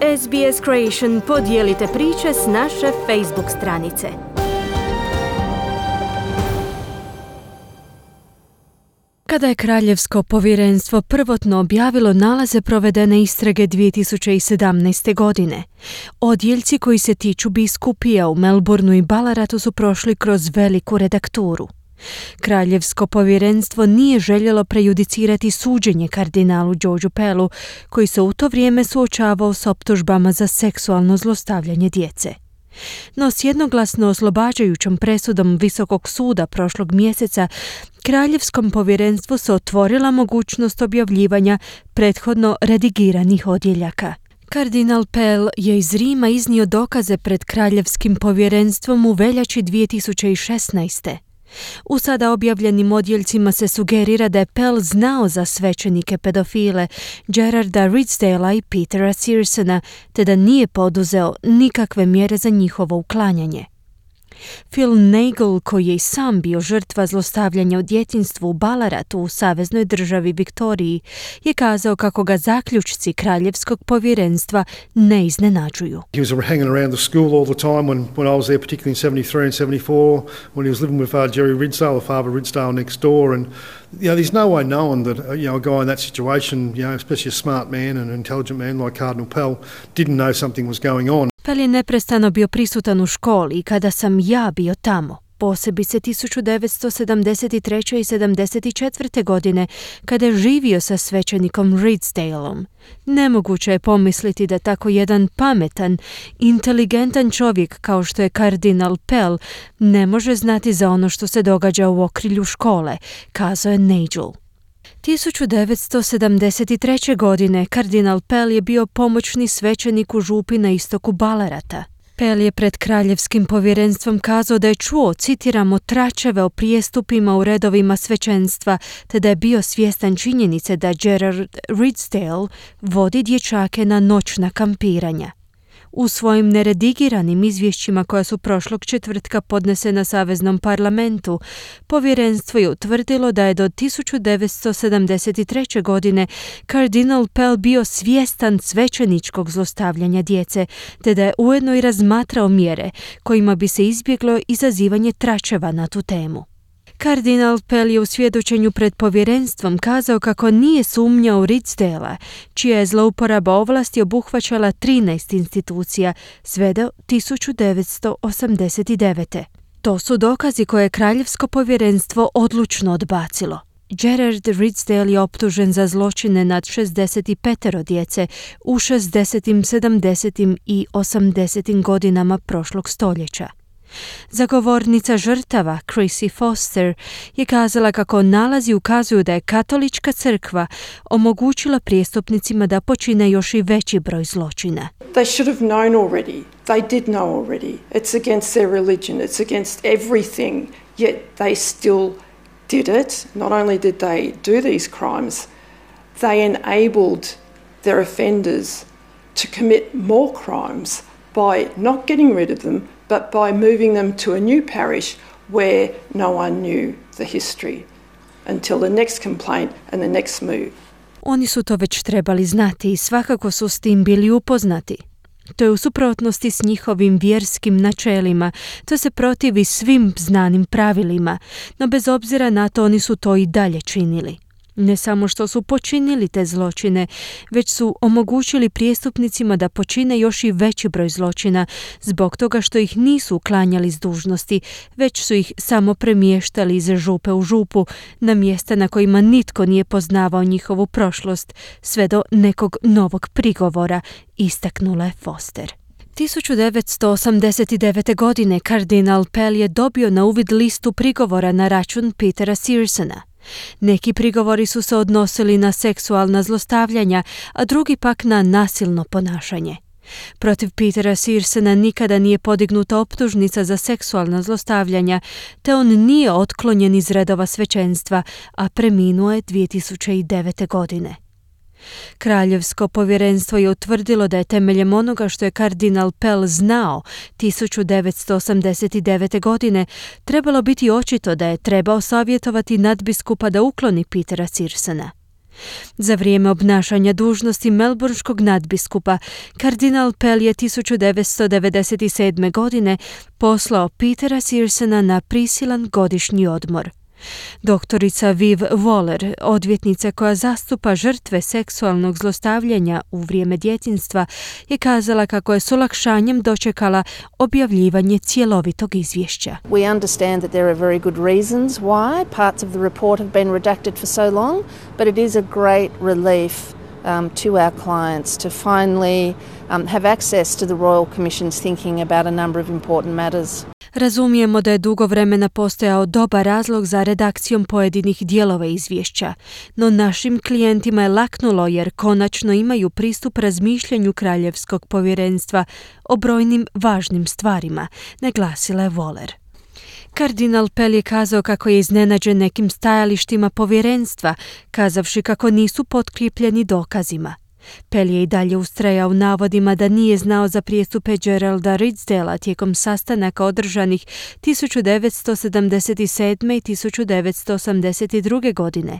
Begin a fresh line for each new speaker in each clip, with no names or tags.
SBS Creation podijelite priče s naše Facebook stranice. Kada je Kraljevsko povjerenstvo prvotno objavilo nalaze provedene istrage 2017. godine, odjeljci koji se tiču biskupija u Melbourneu i Ballaratu su prošli kroz veliku redakturu. Kraljevsko povjerenstvo nije željelo prejudicirati suđenje kardinalu Georgeu Pellu, koji se u to vrijeme suočavao s optužbama za seksualno zlostavljanje djece. No s jednoglasno oslobađajućom presudom Visokog suda prošlog mjeseca, Kraljevskom povjerenstvu se otvorila mogućnost objavljivanja prethodno redigiranih odjeljaka. Kardinal Pell je iz Rima iznio dokaze pred Kraljevskim povjerenstvom u veljači 2016. U sada objavljenim odjeljcima se sugerira da je Pell znao za svećenike pedofile Gerarda Ridsdalea i Petera Searsona, te da nije poduzeo nikakve mjere za njihovo uklanjanje. Phil Nagel, koji je i sam bio žrtva zlostavljanja u djetinjstvu u Ballaratu u saveznoj državi Viktoriji, je kazao kako ga zaključci Kraljevskog povjerenstva ne iznenađuju.
He was hanging around the school all the time when I was there, particularly in 73 and 74, when he was living with Jerry Ridsdale, Father Ridsdale next door, and there's no way knowing that a guy in that situation, especially a smart man and an intelligent man like Cardinal Pell, didn't know something was going on.
Pell je neprestano bio prisutan u školi i kada sam ja bio tamo, posebice 1973. i 74. godine, kada je živio sa svećenikom Ridsdaleom. Nemoguće je pomisliti da tako jedan pametan, inteligentan čovjek kao što je kardinal Pell ne može znati za ono što se događa u okrilju škole, kazao je Nigel. 1973. godine kardinal Pell je bio pomoćni svećenik u župi na istoku Ballarata. Pell je pred Kraljevskim povjerenstvom kazao da je čuo, citiramo, tračeve o prijestupima u redovima svećenstva, te da je bio svjestan činjenice da Gerard Ridsdale vodi dječake na noćna kampiranja. U svojim neredigiranim izvješćima koja su prošlog četvrtka podnesena Saveznom parlamentu, povjerenstvo je utvrdilo da je do 1973. godine kardinal Pell bio svjestan svećeničkog zlostavljanja djece, te da je ujedno i razmatrao mjere kojima bi se izbjeglo izazivanje tračeva na tu temu. Kardinal Pell je u svjedočenju pred povjerenstvom kazao kako nije sumnjao u Ridsdalea, čija je zlouporaba ovlasti obuhvaćala 13 institucija sve do 1989. To su dokazi koje je Kraljevsko povjerenstvo odlučno odbacilo. Gerard Ridsdale je optužen za zločine nad 65 djece u 60., 70. i 80. godinama prošlog stoljeća. Zagovornica žrtava Chrissy Foster je kazala kako nalazi ukazuju da je Katolička crkva omogućila prijestupnicima da počine još i veći broj zločina.
They should have known already. They did know already. It's against their religion. It's against everything. Yet they still did it. Not only did they do these crimes, they enabled their offenders to commit more crimes by not getting rid of them, but by moving them to a new parish where no one knew the history until the next complaint and the next move.
Oni su to već trebali znati i svakako su s tim bili upoznati. To je u suprotnosti s njihovim vjerskim načelima, to se protivi svim znanim pravilima, no bez obzira na to oni su to i dalje činili. Ne samo što su počinili te zločine, već su omogućili prijestupnicima da počine još i veći broj zločina zbog toga što ih nisu uklanjali s dužnosti, već su ih samo premještali iz župe u župu na mjesta na kojima nitko nije poznavao njihovu prošlost sve do nekog novog prigovora, istaknula je Foster. 1989. godine kardinal Pell je dobio na uvid listu prigovora na račun Petera Searsona. Neki prigovori su se odnosili na seksualna zlostavljanja, a drugi pak na nasilno ponašanje. Protiv Petera Searsona nikada nije podignuta optužnica za seksualna zlostavljanja, te on nije otklonjen iz redova svećenstva, a preminuo je 2009. godine. Kraljevsko povjerenstvo je utvrdilo da je temeljem onoga što je kardinal Pell znao 1989. godine trebalo biti očito da je trebao savjetovati nadbiskupa da ukloni Petera Searsona. Za vrijeme obnašanja dužnosti melbourneškog nadbiskupa, kardinal Pell je 1997. godine poslao Petera Searsona na prisilan godišnji odmor. Doktorica Viv Waller, odvjetnica koja zastupa žrtve seksualnog zlostavljanja u vrijeme djetinjstva, je kazala kako je s olakšanjem dočekala objavljivanje cjelovitog izvješća.
We understand that there are very good reasons why parts of the report have been redacted for so long, but it is a great relief to our clients to finally have access to the Royal Commission's thinking about a number of important matters.
Razumijemo da je dugo vremena postojao dobar razlog za redakcijom pojedinih dijelova izvješća, no našim klijentima je laknulo jer konačno imaju pristup razmišljanju Kraljevskog povjerenstva o brojnim važnim stvarima, naglasila je Waller. Kardinal Pell je kazao kako je iznenađen nekim stajalištima povjerenstva, kazavši kako nisu potkripljeni dokazima. Pell je i dalje ustrajao u navodima da nije znao za prijestupe Geralda Ridsdalea tijekom sastanaka održanih 1977. i 1982. godine,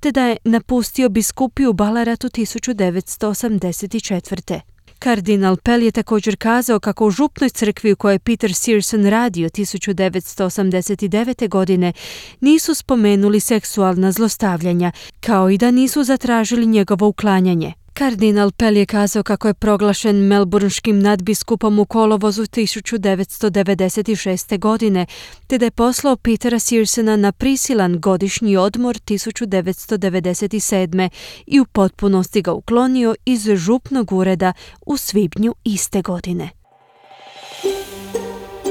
te da je napustio biskupiju Ballaratu 1984. Kardinal Pell je također kazao kako u župnoj crkvi u kojoj je Peter Searson radio 1989. godine nisu spomenuli seksualna zlostavljanja, kao i da nisu zatražili njegovo uklanjanje. Kardinal Pell je kazao kako je proglašen melbourneškim nadbiskupom u kolovozu 1996. godine, te da je poslao Petera Searsona na prisilan godišnji odmor 1997. i u potpunosti ga uklonio iz župnog ureda u svibnju iste godine.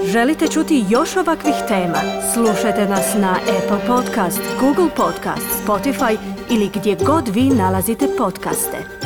Želite čuti još ovakvih tema? Slušajte nas na Apple Podcast, Google Podcast, Spotify ili gdje god vi nalazite podcaste.